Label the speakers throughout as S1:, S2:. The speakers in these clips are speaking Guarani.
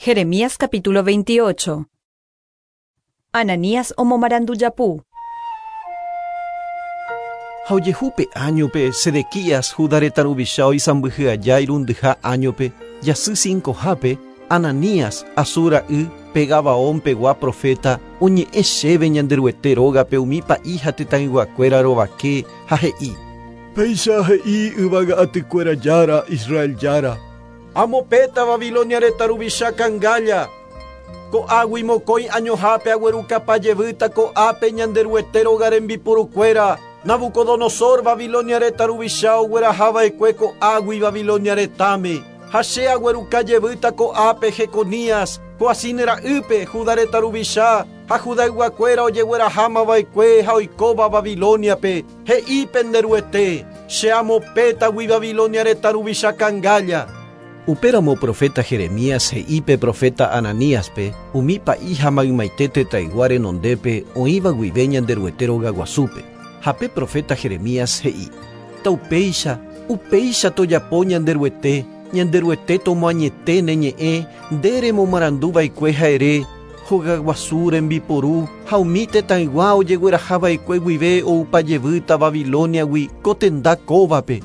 S1: Jeremías capítulo 28. Ananías omomarandu japu.
S2: Ha ojehu pe áñope, Sedequías, Judá retã ruvicha oisãmbyhy aja irundyha áñope, jasy cincohápe, Ananías, Azur ra'y, pe Gabaón pegua proféta, oñe'ẽ chéve Ñanderuete rógape umi pa'i ha tetãyguakuéra rovake, ha he'i.
S3: Péicha he'i yvága atykuéra Jára, Israel Jára.
S2: Amopẽta Babilonia retã ruvicha kangálla. Ko'águi mokõi añohápe aguerukapa jevýta ko'ápe Ñanderuete róga rembiporukuéra, Nabucodonosor, Babilonia retã ruvicha ogueraha va'ekue ko'águi Babilonia retãme. Ha che agueruka jevýta ko'ápe Jeconías, Joacim ra'ýpe, Judá retã ruvicha, ha Judayguakuéra ojegueraháma va'ekue ha oikóva Babilóniape, He'i pende Ruete, Che amopẽtagui Babilonia retã ruvicha kangálla. Upéramo proféta Jeremías he'i pe proféta Ananíaspe, umi pa'i ha maymaite tetãygua renondépe oĩva guive Ñanderuete rogaguasúpe. Ha pe proféta Jeremías he'i, Taupéicha, upéicha tojapo Ñanderuete, Ñanderuete tomoañete ne ñe'ẽ nde remomarandu va'ekue ha ere, Hogaguasu rembiporu ha umi tetãygua ojegueraha va'ekue guive oupa jevýta Babilóniagui ko tenda kóvape.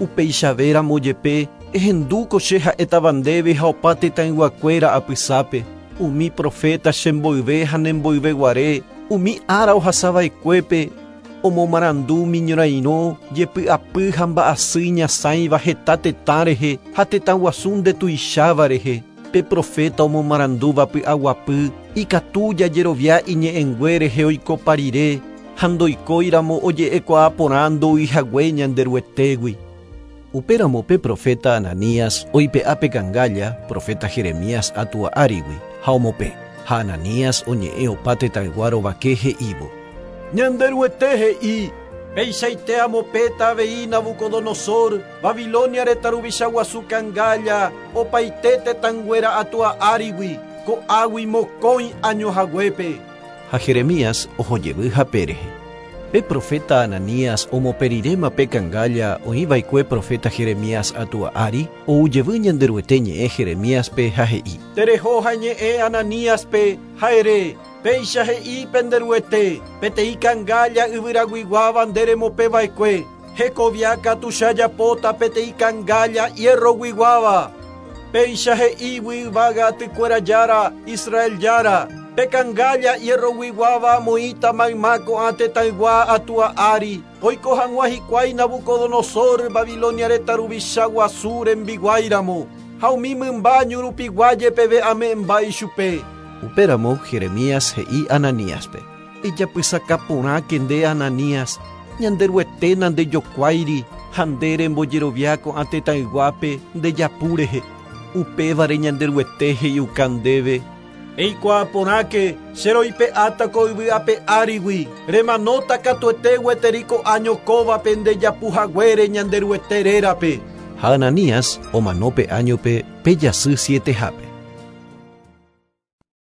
S2: Upeichavéramo jepe, ehendu ko che ha'étava ndéve ha opa tetãyguakuéra apysápe, umi proféta che mboyve ha ne mboyve guare, umi ára ohasa va'ekuépe, omomarandu umi ñorairõ, jepy'apy ha mba'asy iñasãiva heta tetã rehe ha tetã guasu ndetuicháva rehe. Pe proféta omomarandúva py'aguapy ikatu jajerovia iñe'ẽngue rehe oikopa rire ha ndoikóiramo oje'ekuaa porã ndo'uihague Ñanderuetégui. Upéramo pe proféta Ananías oipe'a pe kangálla proféta Jeremías atua árigui ha omopẽ. Ha Ananías oñe'ẽ opa tetãygua rovake he'ívo.
S3: Ñanderuete he'i, Peichaite amopẽta avei Nabucodonosor, Babilonia retã ruvicha guasu kangálla, opaite tetãnguéra atua árigui, ko'águi mokõi áño haguépe.
S2: Ha Jeremías oho jevy hape rehe. Pe proféta Ananías omopẽ riréma pe kangálla oĩ va'ekue proféta Jeremías atua ári, ou jevy Ñanderuete ñe'ẽ Jeremíaspe ha he'i.
S3: Tereho ha eñe'ẽ Ananíaspe, ha ere, Péicha he'i pende Ruete, Peteĩ kangálla yvyraguiguáva nde remopẽ va'ekue, hekovia katu che ajapóta peteĩ kangálla hierroguiguáva. Péicha he'ígui yvága atykuéra Jára, Israel Jára, Pe kangálla hierroguiguáva amoĩta mayma ko'ã tetãygua atua ári, oiko hag̃ua hikuái Nabucodonosor, Babilonia retã ruvicha guasu rembiguáiramo, ha umi mymba ñu rupigua jepeve ame'ẽmba ichupe.
S2: Upéramo Jeremías he'i Ananíaspe, Ejapysaka porãke nde Ananías, Ñanderuete nandejokuáiri ha nde rembojerovia ko'ã tetãyguápe nde japu rehe. Upévare Ñanderuete he'iuka ndéve,
S3: Eikuaa porãke, che roipe'áta ko yvy ape árigui, remanóta katuete gueteri ko áño kóvape nde japu haguére Ñanderuete rérape.
S2: Ha Ananías omano pe áñope pe jasy sietehápe.